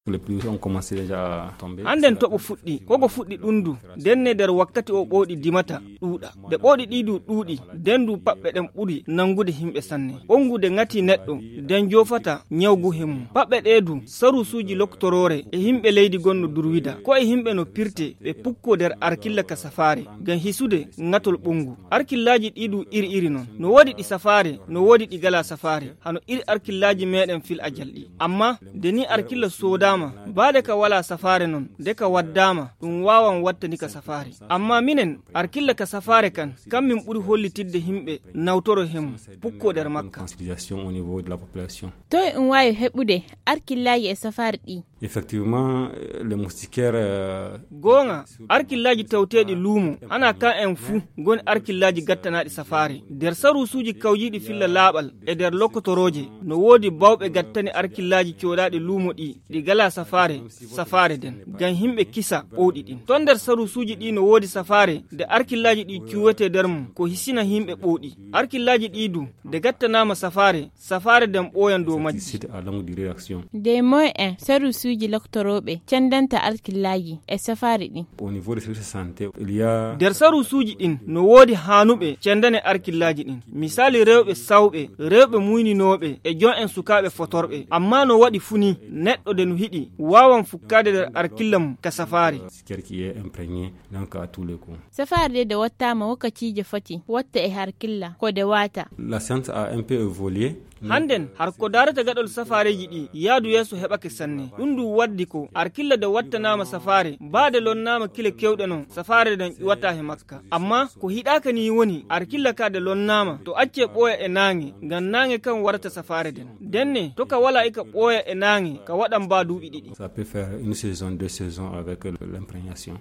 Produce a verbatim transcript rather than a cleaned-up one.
Les pluies ont commencé déjà à tomber. Hannden toɓo fuɗɗi, ko ko fuɗɗi ɗum du, nden ne nder wakkati o ɓooɗi dimata ɗuuɗa. Nde ɓooɗi ɗii du ɗuuɗi, nden du paɓɓe ɗen ɓuri nanngude yimɓe sanne. Ɓonngude ŋatii neɗɗo, nden joofata ñawgu he mum. Paɓɓe ɗee du, saruusuuji loktoroore e yimɓe leydi gonno durwida. Ko e yimɓe no pirte, ɓe pukkoo nder arkilla ka safaare, ngam hisude ŋatol ɓonngu. Arkillaaji ɗii du iri iri non. No woodi ɗi safaare, no woodi ɗi galaa safaare. Hano iri arkillaaji meɗen fil ajal ɗi. Amma, nde ni arkilla soodaama, baade ka walaa safaare non, nde ka waddaama, ɗum waawan wattani ka safaare. Amma minen, arkilla ka safaare kan, kan min ɓuri hollitidde yimɓe nawtoro he mum, pukkoo nder makka. Sensibilisation au niveau de la population. Toy ɗum waawi heɓude arkillaaji e safaare ɗi? Effectivement, euh, les moustiquaires, euh, Goonga, arkillaaji tawteeɗi luumo, ana kan en fuu, ngoni arkillaaji gattanaaɗi safaare. Nder saruusuuji kawjiiɗi filla laaɓal e nder lokotorooje, no woodi bawɓe gattani arkillaaji cooɗaaɗi luumo ɗi, ɗi galaa safaare, safaare nden, ngam yimɓe kisa ɓooɗi ɗin. Ton nder saruusuuji ɗi no woodi safaare, nde arkillaaji ɗi cuwetee nder mum, ko hisina yimɓe ɓooɗi. Arkillaaji ɗi du, nde gattanaama safaare, safaare nden ɓooyan dow majji. Site à longue durée d'action. Dey moy en saruusuuji loktorooɓe cendanta alkillaaji e safaari ɗin? Au niveau des services de santé, il y a Nder saruusuuji ɗin no woodi haanuɓe cendane arkillaaji ɗin. Misaali rewɓe sawɓe, rewɓe muyninooɓe e jon en sukaaɓe fotorɓe. Amma no waɗi funi neɗɗo de no hiɗi waawan fukkaade nder arkilla mum ka safaari. Moustiquaire qui est imprégné, donc à tous les coups. Safaari de de wattaama wakkaciije foti watta e harkilla ko de waata. La science a un peu évolué. Hannden, har ko daarata gaɗol safaareeji ɗi, yaadu yeeso heɓake sanne. Ɗum ndu waddi ko, arkilla de wattanaama safaare, baade lonnaama kile kewɗe non, safaare nden ƴuwata he makka. Amma, ko hiɗaaka ni woni, arkilla ka de lonnaama, to accee ɓooya e naange, ngam naange kan warata safaare nden. Ndenne, to ka walaa ika ɓooya e naange, ka waɗan baa duuɓi ɗiɗi. Ça peut faire une saison, deux saisons avec le- l'imprégnation.